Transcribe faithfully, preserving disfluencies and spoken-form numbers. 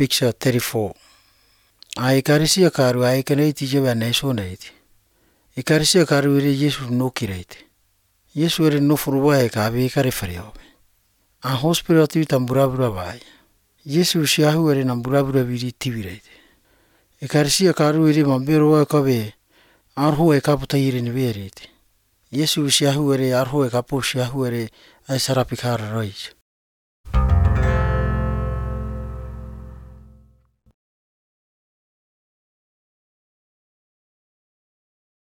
picture thirty-four. A ekarisia karu a ekaneti jewa naisonait. Ekarisia karu ere Yesu no kirate. Yesu ere no furuwa e ka be kare fareo. A hospital tu tamburabura vai. Yesu siahu ere namburabura biri tivirate. Ekarisia karu ere mambero wa kabe arho e kaputa ire ni verite. Yesu siahu ere arho e kapo siahu ere ai sarapikara rais.